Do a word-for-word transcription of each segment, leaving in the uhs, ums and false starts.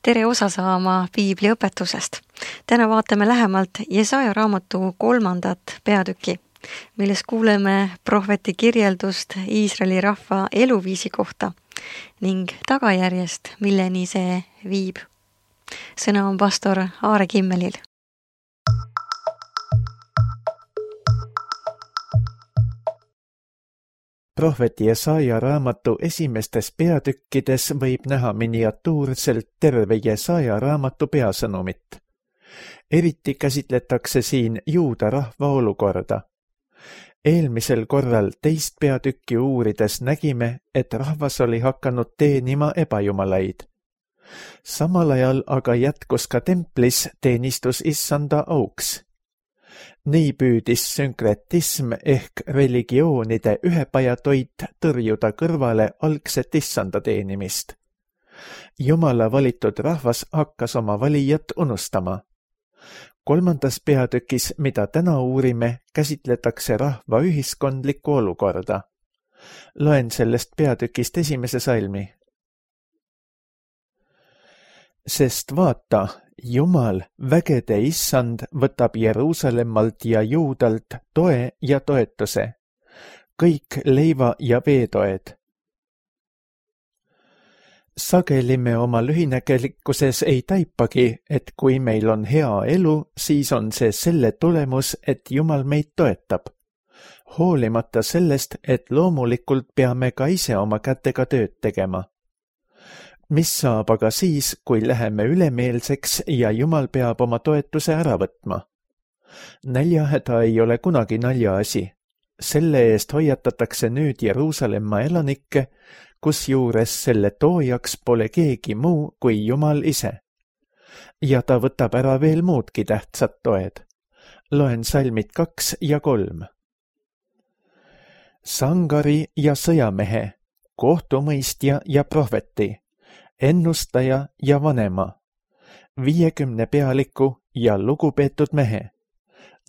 Tere osa saama Piibli õpetusest. Täna vaatame lähemalt Jesaja raamatu kolmandat peatüki, milles kuuleme prohveti kirjeldust Iisraeli rahva eluviisi kohta ning tagajärjest, milleni see viib. Sõna on pastor Aare Kimmelil. Prohveti Jesaja raamatu esimestes peatükkides võib näha miniatuurselt terve Jesaja raamatu peasõnumit. Eriti käsitletakse siin juuda rahva olukorda. Eelmisel korral teist peatükki uurides nägime, et rahvas oli hakanud teenima ebajumalaid. Samal ajal aga jätkus ka templis teenistus issanda auks. Nii püüdis sünkretism ehk religioonide ühepajatoit tõrjuda kõrvale algset issanda teenimist. Jumala valitud rahvas hakkas oma valijat unustama. Kolmandas peatükis, mida täna uurime, käsitletakse rahva ühiskondlikku olukorda. Loen sellest peatükist esimese salmi. Sest vaata, Jumal, vägede issand, võtab Jeruusalemmalt ja Juudalt toe ja toetuse, kõik leiva ja veetoed. Sageli me oma lühinägelikkuses ei taipagi, et kui meil on hea elu, siis on see selle tulemus, et Jumal meid toetab. Hoolimata sellest, et loomulikult peame ka ise oma kätega tööd tegema. Mis saab aga siis, kui läheme ülemeelseks ja Jumal peab oma toetuse ära võtma? Näljahäda ei ole kunagi naljaasi. Selle eest hoiatatakse nüüd Jeruusalemma elanikke, kusjuures selle toojaks pole keegi muu kui Jumal ise. Ja ta võtab ära veel muudki tähtsad toed. Loen salmid kaks ja kolm. Sangari ja sõjamehe, kohtumõistja ja prohveti, ennustaja ja vanema, viiekümne pealiku ja lugupeetud mehe,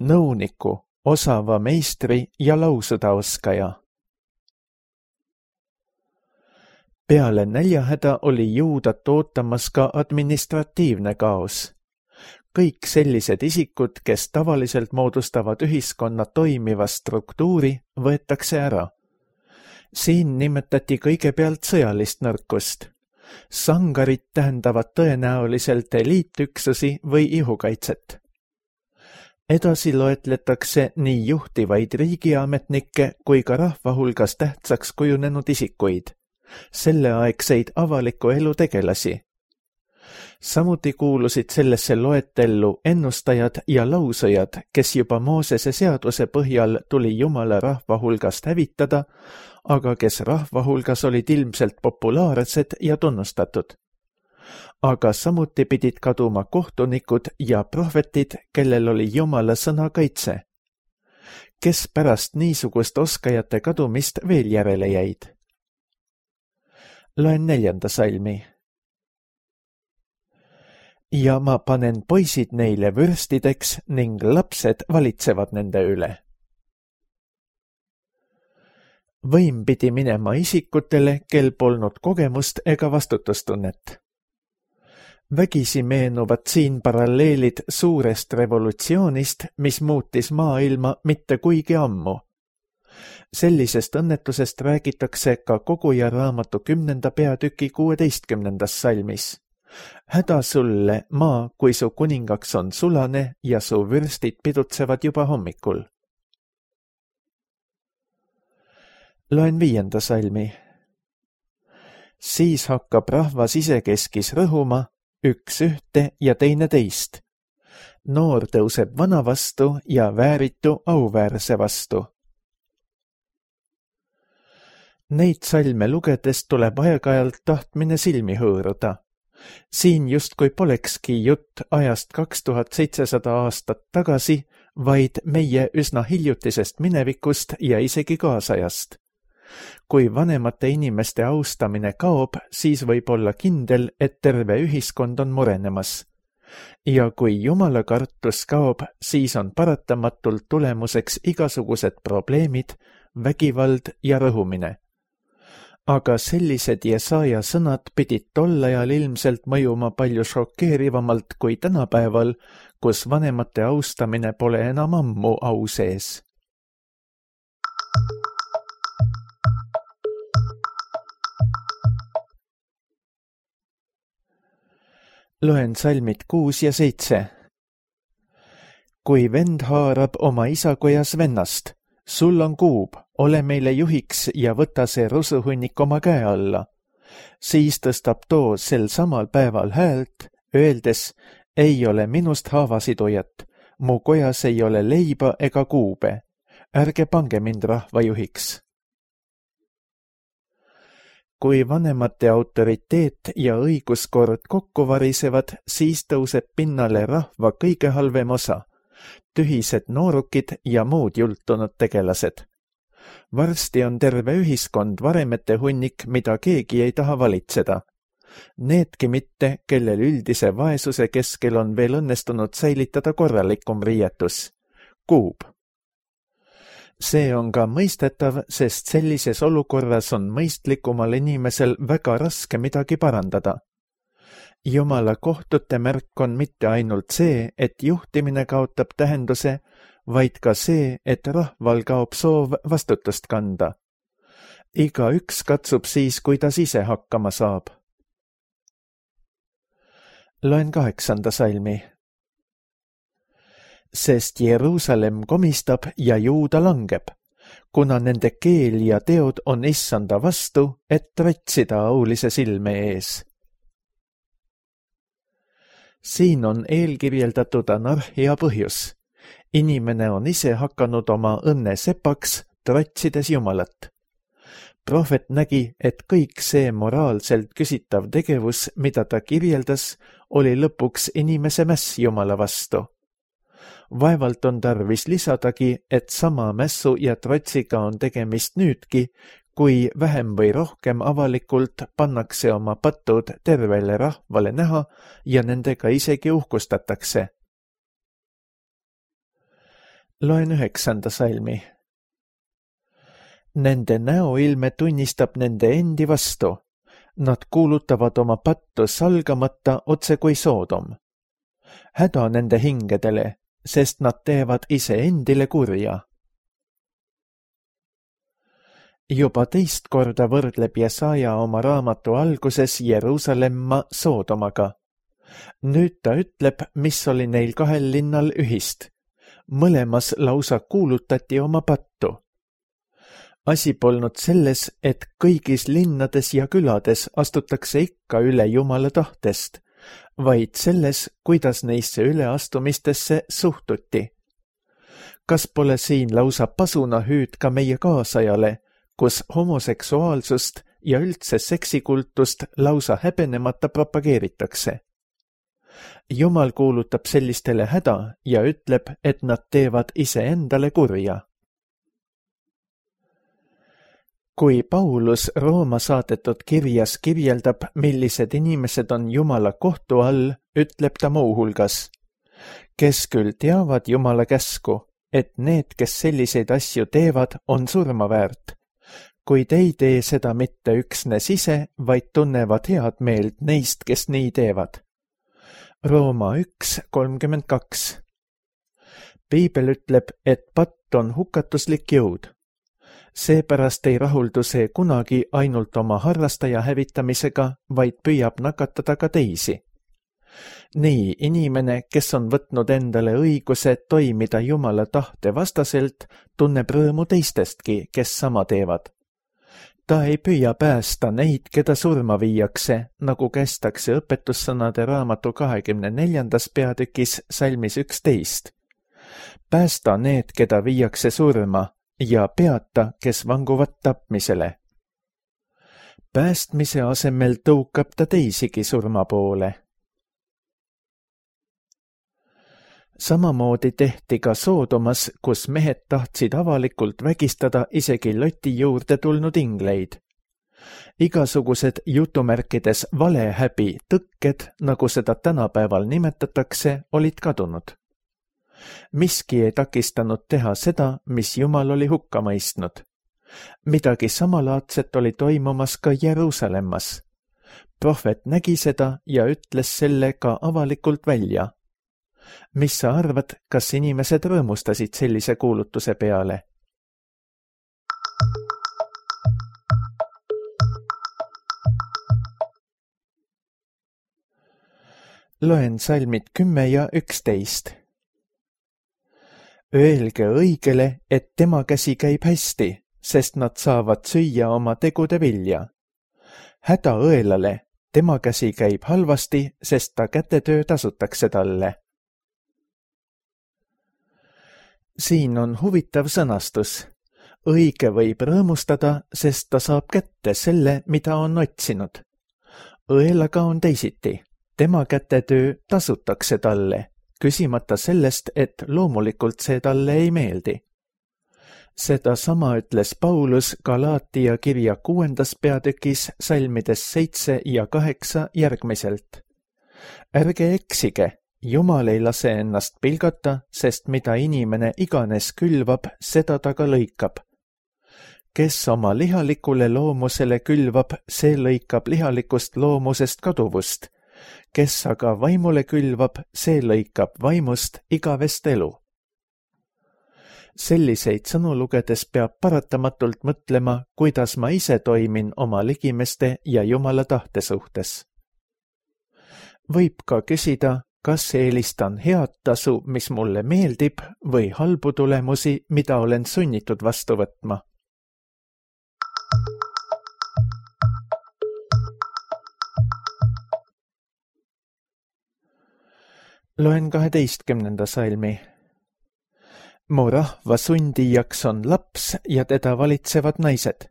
nõuniku, osava meistri ja lausudaoskaja. Peale näljahäda oli juudat ootamas ka administratiivne kaos. Kõik sellised isikud, kes tavaliselt moodustavad ühiskonna toimiva struktuuri, võetakse ära. Siin nimetati kõigepealt sõjalist nõrkust. Sangarid tähendavad tõenäoliselt eliitüksusi või ihukaitset. Edasi loetletakse nii juhtivaid riigiametnikke kui ka rahva hulgas tähtsaks kujunenud isikuid, selleaegseid avaliku elu tegelasi. Samuti kuulusid sellesse loetellu ennustajad ja lausujad, kes juba Moosese seaduse põhjal tuli Jumala rahva hulgast hävitada, aga kes rahva hulgas olid ilmselt populaarsed ja tunnustatud. Aga samuti pidid kaduma kohtunikud ja prohvetid, kellel oli Jumala sõna kaitse. Kes pärast niisugust oskajate kadumist veel järele jäid? Loen neljanda salmi. Ja ma panen poisid neile vürstideks ning lapsed valitsevad nende üle. Võim pidi minema isikutele, kel polnud kogemust ega vastutustunnet. Vägisi meenuvad siin paralleelid suurest revolutsioonist, mis muutis maailma mitte kuigi ammu. Sellisest õnnetusest räägitakse ka Koguja raamatu kümnenda peatüki kuueteistkümnendas salmis. Häda sulle, maa, kui su kuningaks on sulane ja su vürstid pidutsevad juba hommikul. Loen viienda salmi. Siis hakkab rahvas isekeskis rõhuma, üks ühte ja teine teist. Noor tõuseb vana vastu ja vääritu auväärse vastu. Neid salme lugedes tuleb aeg-ajalt tahtmine silmi hõõruda. Siin justkui polekski jutt ajast kaks tuhat seitsesada aastat tagasi, vaid meie üsna hiljutisest minevikust ja isegi kaasajast. Kui vanemate inimeste austamine kaob, siis võib olla kindel, et terve ühiskond on murenemas. Ja kui Jumala kartus kaob, siis on paratamatult tulemuseks igasugused probleemid, vägivald ja rõhumine. aga sellised Jesaja sõnad pidid tol ajal ilmselt mõjuma palju šokeerivamalt kui tänapäeval, kus vanemate austamine pole enam ammu au sees. Loen salmid kuus ja seitse. Kui vend haarab oma isakojas vennast, sul on kuub, ole meile juhiks ja võta see rusuhunnik oma käe alla. Siis tõstab too sel samal päeval häält, öeldes, ei ole minust haavasidujat, mu kojas ei ole leiba ega kuube, ärge pange mind rahva juhiks. Kui vanemate autoriteet ja õiguskord kokku varisevad, siis tõuseb pinnale rahva kõige halvem osa, tühised noorukid ja muud jultunud tegelased. Varsti on terve ühiskond varemete hunnik, mida keegi ei taha valitseda. Needki mitte, kellel üldise vaesuse keskel on veel õnnestunud säilitada korralikum riietus. Kuub. See on ka mõistetav, sest sellises olukorras on mõistlikumal inimesel väga raske midagi parandada. Jumala kohtute märk on mitte ainult see, et juhtimine kaotab tähenduse, vaid ka see, et rahval kaob soov vastutust kanda. Iga üks katsub siis, kuidas ise hakkama saab. Loen kaheksanda salmi. Sest Jeruusalemm komistab ja Juuda langeb, kuna nende keel ja teod on issanda vastu, et trotsida aulise silme ees. Siin on eelkirjeldatud anarhia põhjus. Inimene on ise hakanud oma õnne sepaks, trotsides Jumalat. Prohvet nägi, et kõik see moraalselt küsitav tegevus, mida ta kirjeldas, oli lõpuks inimese mäss Jumala vastu. Vaevalt on tarvis lisadagi, et sama mässu ja trotsiga on tegemist nüüdki, kui vähem või rohkem avalikult pannakse oma patud tervele rahvale näha ja nendega isegi uhkustatakse. Loen üheksanda salmi. Nende näoilme tunnistab nende endi vastu. Nad kuulutavad oma pattu salgamata otse kui Soodom. Häda nende hingedele, sest nad teevad ise endile kurja. Juba teist korda võrdleb Jesaja oma raamatu alguses Jeruusalemma Soodomaga. Nüüd ta ütleb, mis oli neil kahel linnal ühist. Mõlemas lausa kuulutati oma pattu. Asi polnud selles, et kõigis linnades ja külades astutakse ikka üle Jumala tahtest, vaid selles, kuidas neisse üleastumistesse suhtuti. Kas pole siin lausa pasunahüüd ka meie kaasajale, kus homoseksuaalsust ja üldse seksikultust lausa häbenemata propageeritakse? Jumal kuulutab sellistele häda ja ütleb, et nad teevad iseendale kurja. Kui Paulus Rooma saadetud kirjas kirjeldab, millised inimesed on Jumala kohtu all, ütleb ta muuhulgas, kes küll teavad Jumala käsku, et need, kes selliseid asju teevad, on surma väärt, kuid ei tee seda mitte üksnes ise, vaid tunnevad head meelt neist, kes nii teevad. Rooma üks kolmkümmend kaks. Piibel ütleb, et patt on hukatuslik jõud. Seepärast ei rahuldu see kunagi ainult oma harrastaja hävitamisega, vaid püüab nakatada ka teisi. Nii inimene, kes on võtnud endale õiguse toimida Jumala tahte vastaselt, tunneb rõõmu teistestki, kes sama teevad. Ta ei püüa päästa neid, keda surma viiakse, nagu kästakse õpetussõnade raamatu kahekümne neljandas peatükis salmis üksteist. Päästa need, keda viiakse surma, ja peata, kes vanguvad tapmisele. Päästmise asemel tõukab ta teisigi surma poole. Samamoodi tehti ka Soodomas, kus mehed tahtsid avalikult vägistada isegi Loti juurde tulnud ingleid. Igasugused jutumärkides valehäbi tõkked, nagu seda tänapäeval nimetatakse, olid kadunud. Miski ei takistanud teha seda, mis Jumal oli hukka mõistnud. Midagi samalaadset oli toimumas ka Jeruusalemmas. Prohvet nägi seda ja ütles selle ka avalikult välja. Mis sa arvad, kas inimesed rõõmustasid sellise kuulutuse peale? Loen salmid kümme ja üksteist. Öelge õigele, et tema käsi käib hästi, sest nad saavad süüa oma tegude vilja. Häda õelale, tema käsi käib halvasti, sest ta kätetöö tasutakse talle. Siin on huvitav sõnastus. Õige võib rõõmustada, sest ta saab kätte selle, mida on otsinud. Õelaga on teisiti. Tema kätetöö tasutakse talle, küsimata sellest, et loomulikult see talle ei meeldi. Seda sama ütles Paulus Galaatia kirja kuuendas peatükis salmides seitse ja kaheksa järgmiselt. Ärge eksige, Jumal ei lase ennast pilgata, sest mida inimene iganes külvab, seda ta ka lõikab. Kes oma lihalikule loomusele külvab, see lõikab lihalikust loomusest kaduvust. Kes aga vaimule külvab, see lõikab vaimust igavest elu. Selliseid sõnu lugedes peab paratamatult mõtlema, kuidas ma ise toimin oma ligimeste ja Jumala tahte suhtes. Võib ka küsida, kas eelistan head tasu, mis mulle meeldib, või halbu tulemusi, mida olen sunnitud vastu võtma. Loen kaheteistkümnenda salmi. Mu rahva sundijaks on laps ja teda valitsevad naised.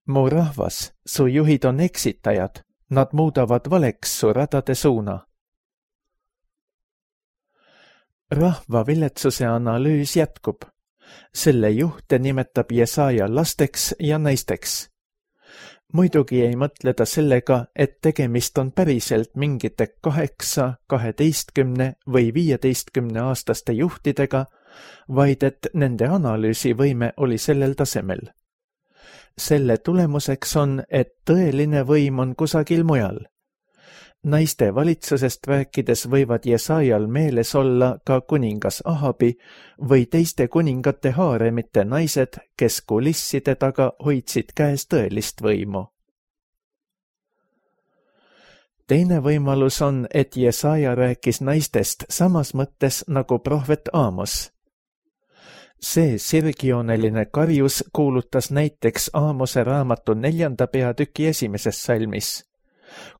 Mu rahvas, su juhid on eksitajad, nad muudavad valeks su radade suuna. Rahva viletsuse analüüs jätkub. Selle juhte nimetab Jesaja lasteks ja naisteks. Muidugi ei mõtle ta sellega, et tegemist on päriselt mingite kaheksa, kaheteistkümne või viieteistkümne aastaste juhtidega, vaid et nende analüüsivõime oli sellel tasemel. Selle tulemuseks on, et tõeline võim on kusagil mujal. Naiste valitsusest rääkides võivad Jesajal meeles olla ka kuningas Ahabi või teiste kuningate haaremite naised, kes kulisside taga hoidsid käes tõelist võimu. Teine võimalus on, et Jesaja rääkis naistest samas mõttes nagu prohvet Aamos. See sirgjooneline karjus kuulutas näiteks Aamose raamatu neljanda peatüki esimeses salmis.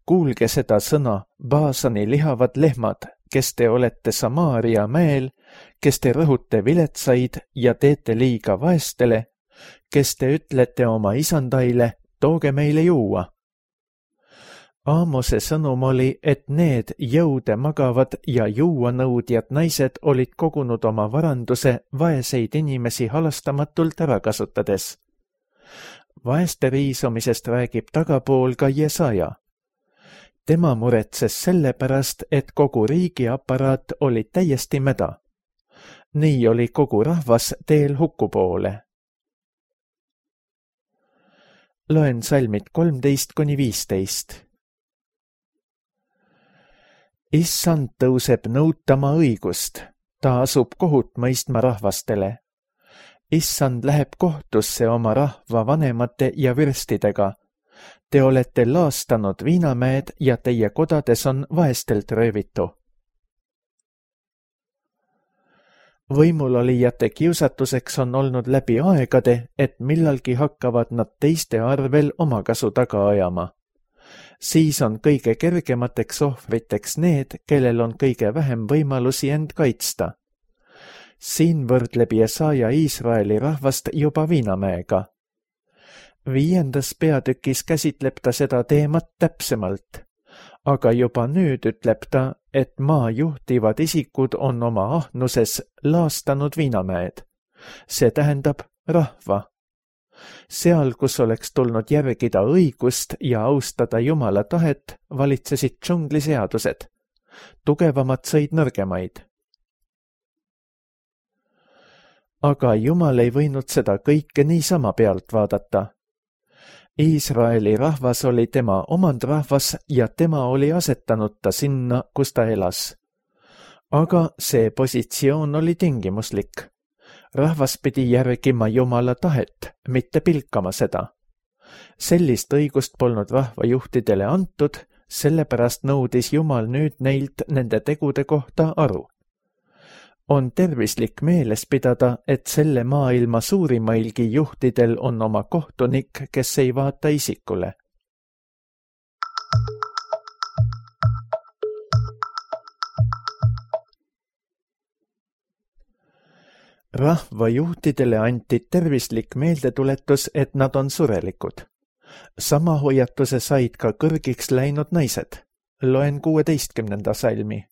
Kuulge seda sõna, Baasani lihavad lehmad, kes te olete Samaaria mäel, kes te rõhute viletsaid ja teete liiga vaestele, kes te ütlete oma isandaile, tooge meile juua. Aamose sõnum oli, et need jõude magavad ja juuanõudjad naised olid kogunud oma varanduse vaeseid inimesi halastamatult ära kasutades. Vaeste riisumisest räägib tagapool ka Jesaja. Tema muretses selle pärast, et kogu riigi aparaat oli täiesti mäda. Nii oli kogu rahvas teel huku poole. Loen salmid kolmteist kuni viisteist. Issand tõuseb nõutama õigust, ta asub kohut mõistma rahvastele. Issand läheb kohtusse oma rahva vanemate ja vürstidega. Te olete laastanud viinamäed ja teie kodades on vaestelt röövitu. Võimulolijate kiusatuseks on olnud läbi aegade, et millalgi hakkavad nad teiste arvel omakasu taga ajama. Siis on kõige kergemateks ohvriteks need, kellel on kõige vähem võimalusi end kaitsta. Siin võrdleb Jesaja Iisraeli rahvast juba viinamäega. Viiendas peatükis käsitleb ta seda teemat täpsemalt, aga juba nüüd ütleb ta, et maa juhtivad isikud on oma ahnuses laastanud viinamäed. See tähendab rahva. Seal, kus oleks tulnud järgida õigust ja austada Jumala tahet, valitsesid džungliseadused. Tugevamad sõid nõrgemaid. aga Jumal ei võinud seda kõike niisama pealt vaadata. Iisraeli rahvas oli tema omandrahvas ja tema oli asetanud ta sinna, kus ta elas. Aga see positsioon oli tingimuslik. Rahvas pidi järgima Jumala tahet, mitte pilkama seda. Sellist õigust polnud rahvajuhtidele antud, sellepärast nõudis Jumal nüüd neilt nende tegude kohta aru. On tervislik meeles pidada, et selle maailma suurimailgi juhtidel on oma kohtunik, kes ei vaata isikule. Rahvajuhtidele anti tervislik meeldetuletus, et nad on surelikud. Sama hoiatuse said ka kõrgiks läinud naised. Loen kuueteistkümnenda salmi.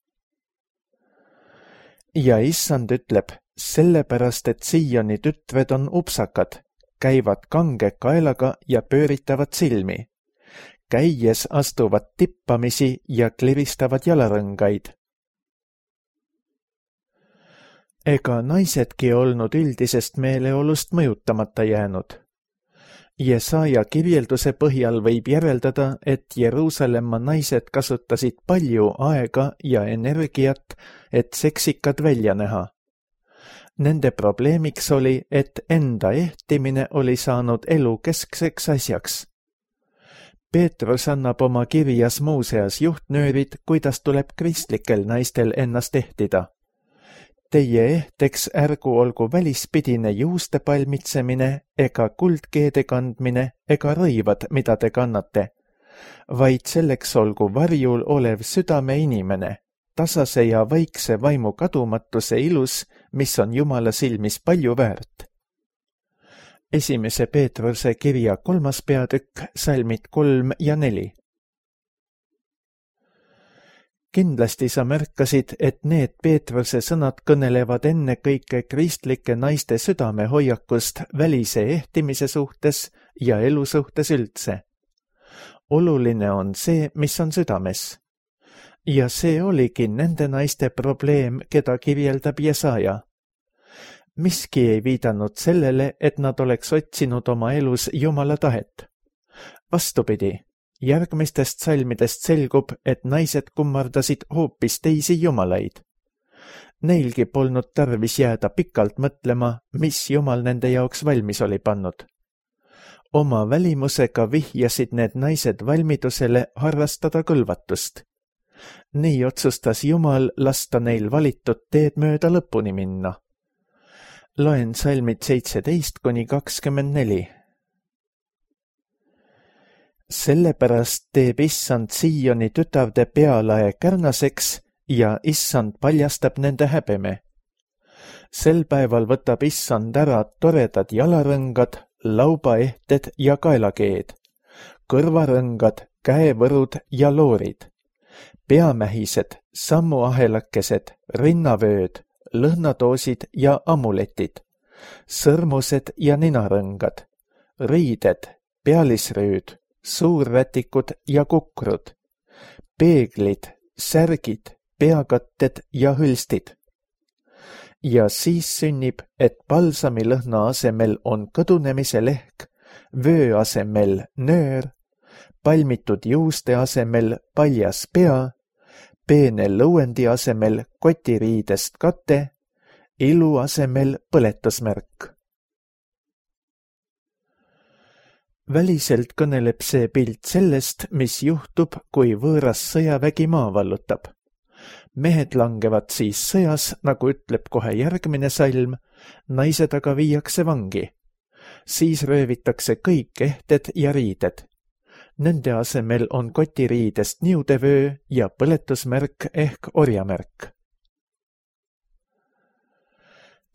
Ja issand ütleb, sellepärast, et Sioni tütred on upsakad, käivad kange kaelaga ja pööritavad silmi. Käies astuvad tippamisi ja kliristavad jalarõngaid. Ega naisedki olnud üldisest meeleolust mõjutamata jäänud. Jesaja kirjelduse põhjal võib järeldada, et Jeruusalemma naised kasutasid palju aega ja energiat, et seksikad välja näha. Nende probleemiks oli, et enda ehtimine oli saanud elu keskseks asjaks. Peetrus annab oma kirjas muuseas juhtnöörid, kuidas tuleb kristlikel naistel ennast ehtida. Teie ehteks ärgu olgu välispidine juuste palmitsemine ega kuldkeede kandmine ega rõivad, mida te kannate, vaid selleks olgu varjul olev südame inimene, tasase ja vaikse vaimu kadumatuse ilus, mis on Jumala silmis palju väärt. Esimese Peetruse kirja kolmas peatükk, salmid kolm ja neli. Kindlasti sa märkasid, et need Peetruse sõnad kõnelevad enne kõike kristlike naiste südamehoiakust välise ehtimise suhtes ja elu suhtes üldse. Oluline on see, mis on südames. Ja see oligi nende naiste probleem, keda kirjeldab Jesaja. Miski ei viidanud sellele, et nad oleks otsinud oma elus Jumala tahet. Vastupidi. Järgmistest salmidest selgub, et naised kummardasid hoopis teisi jumalaid. Neilgi polnud tarvis jääda pikalt mõtlema, mis Jumal nende jaoks valmis oli pannud. Oma välimusega vihjasid need naised valmidusele harrastada kõlvatust. Nii otsustas Jumal lasta neil valitud teed mööda lõpuni minna. Loen salmid seitseteist kuni kakskümmend neli. Sellepärast teeb issand Sioni tütarde pealae kärnaseks ja issand paljastab nende häbeme. Sel päeval võtab issand ära toredad jalarõngad, laubaehted ja kaelakeed, kõrvarõngad, käevõrud ja loorid, peamähised, sammuahelakesed, rinnavööd, lõhnatoosid ja amuletid, sõrmused ja ninarõngad, riided, pealisrüüd, suurrätikud ja kukrud, peeglid, särgid, peakatted ja hõlstid. Ja siis sünnib, et balsamilõhna asemel on kõdunemise lehk, vöö asemel nöör, palmitud juuste asemel paljas pea, peene lõuendi asemel kotiriidest kate, ilu asemel põletusmärk. Väliselt kõneleb see pilt sellest, mis juhtub, kui võõras sõjavägi maa vallutab. Mehed langevad siis sõjas, nagu ütleb kohe järgmine salm, naised aga viiakse vangi. Siis röövitakse kõik ehted ja riided. Nende asemel on kotiriidest niudevöö ja põletusmärk ehk orjamärk.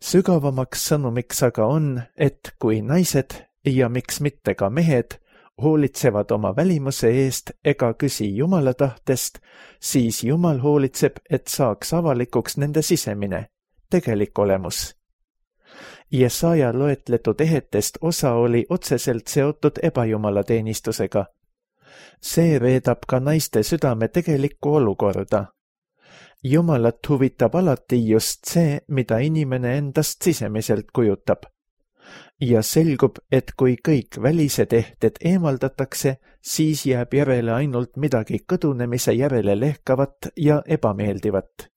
Sügavamaks sõnumiks aga on, et kui naised ja miks mitte ka mehed hoolitsevad oma välimuse eest ega küsi Jumala tahtest, siis Jumal hoolitseb, et saaks avalikuks nende sisemine, tegelik olemus. Jesaja loetletud ehetest osa oli otseselt seotud ebajumala teenistusega. See reedab ka naiste südame tegelikku olukorda. Jumalat huvitab alati just see, mida inimene endast sisemiselt kujutab. Ja selgub, et kui kõik välised ehted eemaldatakse, siis jääb järele ainult midagi kõdunemise järele lehkavat ja ebameeldivat.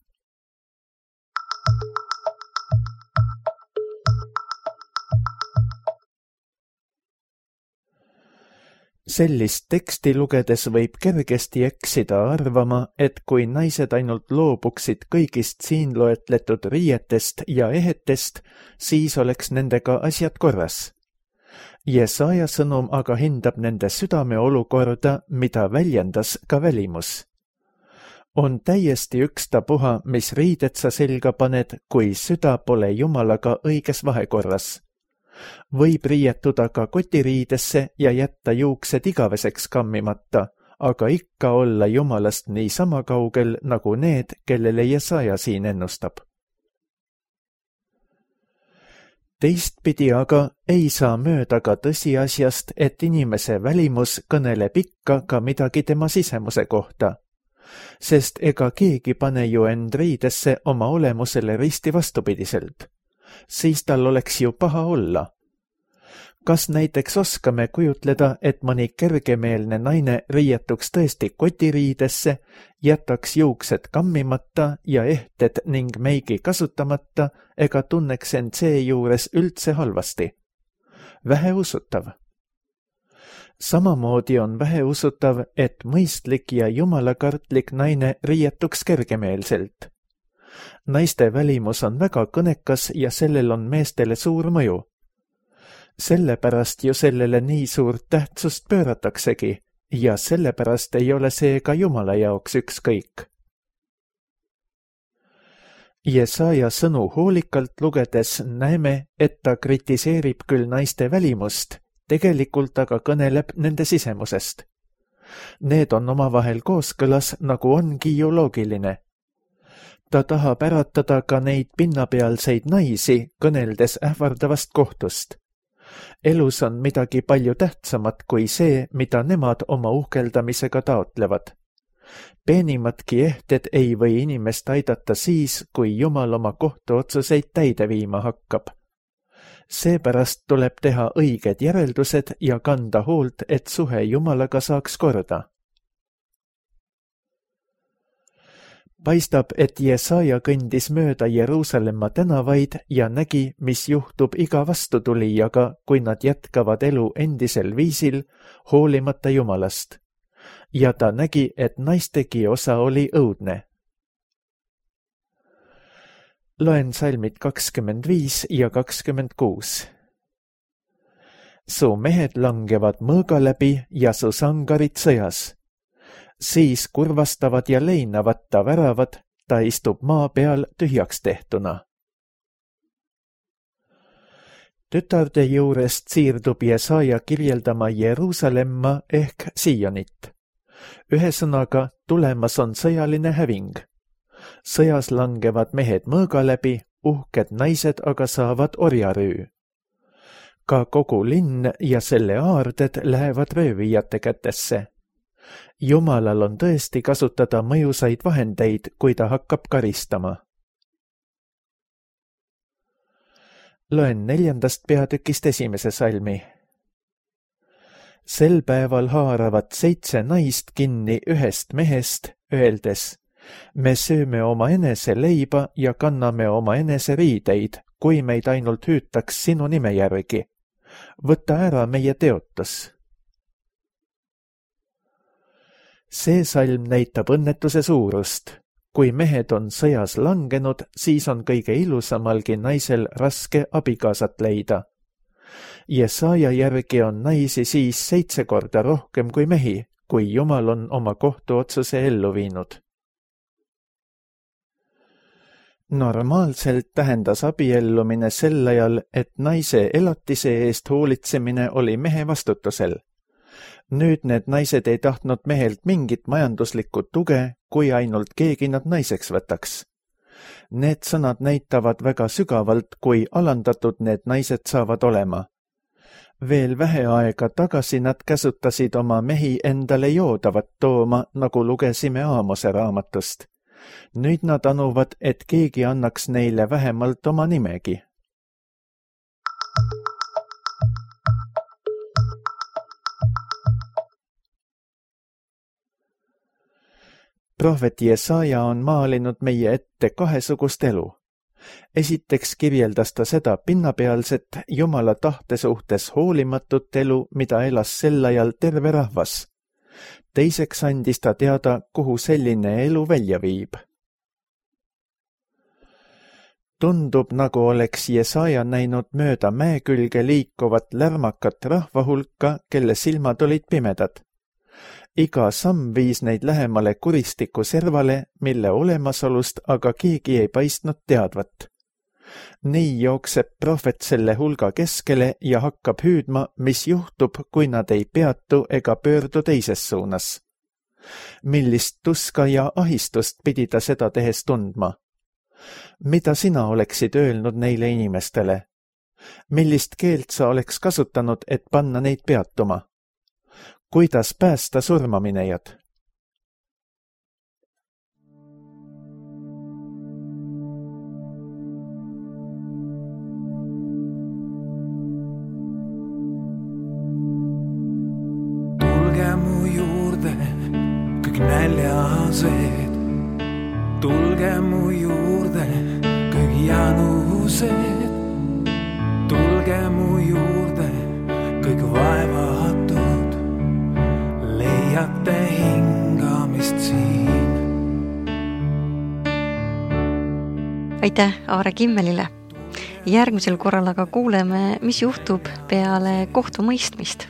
Sellist teksti lugedes võib kergesti eksida arvama, et kui naised ainult loobuksid kõigist siin loetletud riietest ja ehetest, siis oleks nendega asjad korras. Jesaja sõnum aga hindab nende südame olukorda, mida väljendas ka välimus. On täiesti ükstapuha, mis riided sa selga paned, kui süda pole Jumalaga õiges vahekorras. Võib riietuda ka kotiriidesse ja jätta juuksed igaveseks kammimata, aga ikka olla Jumalast nii sama kaugel nagu need, kellele Jesaja siin ennustab. Teistpidi aga ei saa mööda ka tõsiasjast, et inimese välimus kõneleb ikka ka midagi tema sisemuse kohta, sest ega keegi pane ju end riidesse oma olemusele risti vastupidiselt. Siis tal oleks ju paha olla. Kas näiteks oskame kujutleda, et mõni kergemeelne naine riietuks tõesti kotiriidesse, jätaks juuksed kammimata ja ehted ning meigi kasutamata ega tunneks end seejuures üldse halvasti? Väheusutav. Samamoodi on väheusutav, et mõistlik ja jumalakartlik naine riietuks kergemeelselt. Naiste välimus on väga kõnekas ja sellel on meestele suur mõju. Sellepärast ju sellele nii suurt tähtsust pöörataksegi ja sellepärast ei ole see ka Jumala jaoks ükskõik. Jesaja sõnu hoolikalt lugedes näeme, et ta kritiseerib küll naiste välimust, tegelikult aga kõneleb nende sisemusest. Need on omavahel kooskõlas, nagu ongi ju loogiline. Ta tahab äratada ka neid pinnapealseid naisi, kõneldes ähvardavast kohtust. Elus on midagi palju tähtsamat kui see, mida nemad oma uhkeldamisega taotlevad. Peenimatki ehted ei või inimest aidata siis, kui Jumal oma kohtuotsuseid täide viima hakkab. Seepärast tuleb teha õiged järeldused ja kanda hoolt, et suhe Jumalaga saaks korda. Paistab, et Jesaja kõndis mööda Jeruusalemma tänavaid ja nägi, mis juhtub iga vastutulijaga, kui nad jätkavad elu endisel viisil, hoolimata Jumalast. Ja ta nägi, et naistegi osa oli õudne. Loen salmid kakskümmend viis ja kakskümmend kuus. Su mehed langevad mõõga läbi ja su sangarid sõjas. Siis kurvastavad ja leinavad ta väravad, ta istub maa peal tühjaks tehtuna. Tütarde juurest siirdub Jesaja kirjeldama Jeruusalemma ehk Sionit. Ühesõnaga, tulemas on sõjaline häving. Sõjas langevad mehed mõõga läbi, uhked naised aga saavad orjarüü. Ka kogu linn ja selle aarded lähevad röövijate kätesse. Jumalal on tõesti kasutada mõjusaid vahendeid, kui ta hakkab karistama. Loen neljandast peatükist esimese salmi. Sel päeval haaravad seitse naist kinni ühest mehest, öeldes, me sööme oma enese leiba ja kanname oma enese riideid, kui meid ainult hüütaks sinu nime järgi. Võta ära meie teotus. See salm näitab õnnetuse suurust. Kui mehed on sõjas langenud, siis on kõige ilusamalgi naisel raske abikaasat leida. Jesaja järgi on naisi siis seitse korda rohkem kui mehi, kui Jumal on oma kohtuotsuse ellu viinud. Normaalselt tähendas abiellumine sel ajal, et naise elatise eest hoolitsemine oli mehe vastutusel. Nüüd need naised ei tahtnud mehelt mingit majanduslikku tuge, kui ainult keegi nad naiseks võtaks. Need sõnad näitavad väga sügavalt, kui alandatud need naised saavad olema. Veel vähe aega tagasi nad käsutasid oma mehi endale joodavat tooma, nagu lugesime Aamose raamatust. Nüüd nad anuvad, et keegi annaks neile vähemalt oma nimegi. Prohvet Jesaja on maalinud meie ette kahesugust elu. Esiteks kirjeldas ta seda pinnapealset Jumala tahte suhtes hoolimatut elu, mida elas sel ajal terve rahvas. Teiseks andis ta teada, kuhu selline elu välja viib. Tundub, nagu oleks Jesaja näinud mööda mäe külge liikuvat lärmakat rahvahulka, kelle silmad olid pimedad. Iga samm viis neid lähemale kuristiku servale, mille olemasolust aga keegi ei paistnud teadvat. Nii jookseb prohvet selle hulga keskele ja hakkab hüüdma, mis juhtub, kui nad ei peatu ega pöördu teises suunas. Millist tuska ja ahistust pidi ta seda tehes tundma? Mida sina oleksid öelnud neile inimestele? Millist keelt sa oleks kasutanud, et panna neid peatuma? Kuidas päästa surmaminejad? Tulge mu juurde, kõik näljased. Tulge mu juurde, kõik janused. Tulge mu juurde, kõik vaevatud. Leiate hingamist siin. Aitäh Aare Kimmelile. Järgmisel korral aga kuuleme, mis juhtub peale kohtumõistmist.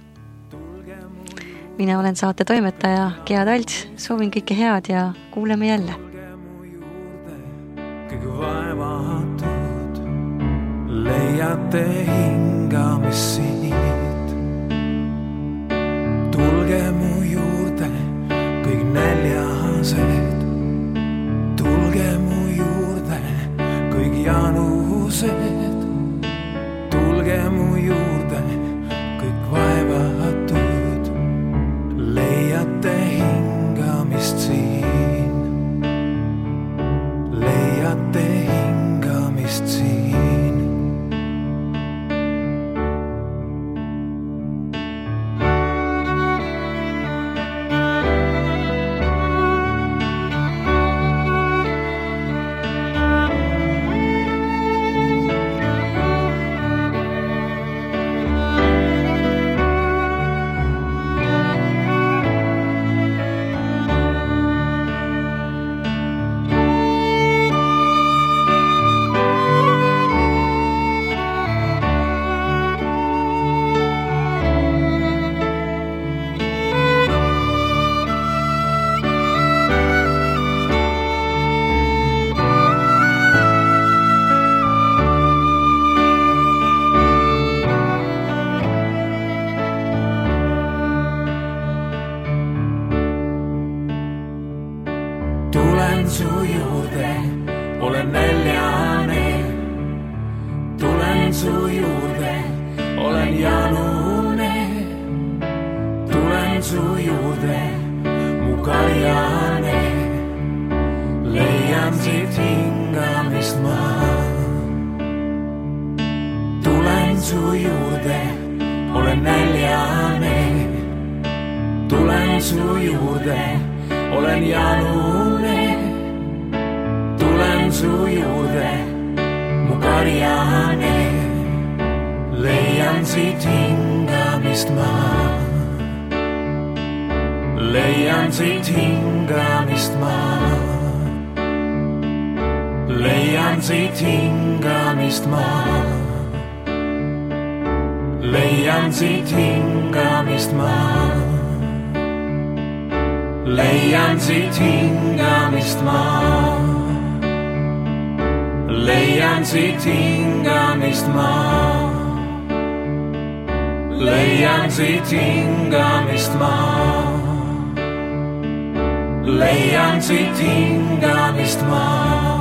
Mina olen saate toimetaja Gea Talts, soovin kõike head ja kuuleme jälle. Kõik vaevatud, leiate hingamist siit. Tulge mu juurde, kõik näljased. Tulge mu juurde, kõik janused. Tulge mu juurde, kõik vaevatud. Leiate hingamist siin. Leiate hingamist siin. Tulen su juurde, olen näljane. Tulen su juurde, olen janune. Tulen su juurde, mu karjane. Leian siit hingamist ma. Tulen su juurde, olen näljane. Tulen su juurde, olen janune. Tulen su juurde, mu karjane. Leian siit hingamist ma. Leian siit hingamist ma. Leian siit hingamist ma. Leian siit hingamist ma. Leian siit hingamist ma. Leian siit hingamist ma. Leian siit hingamist ma. Leian siit hingamist ma.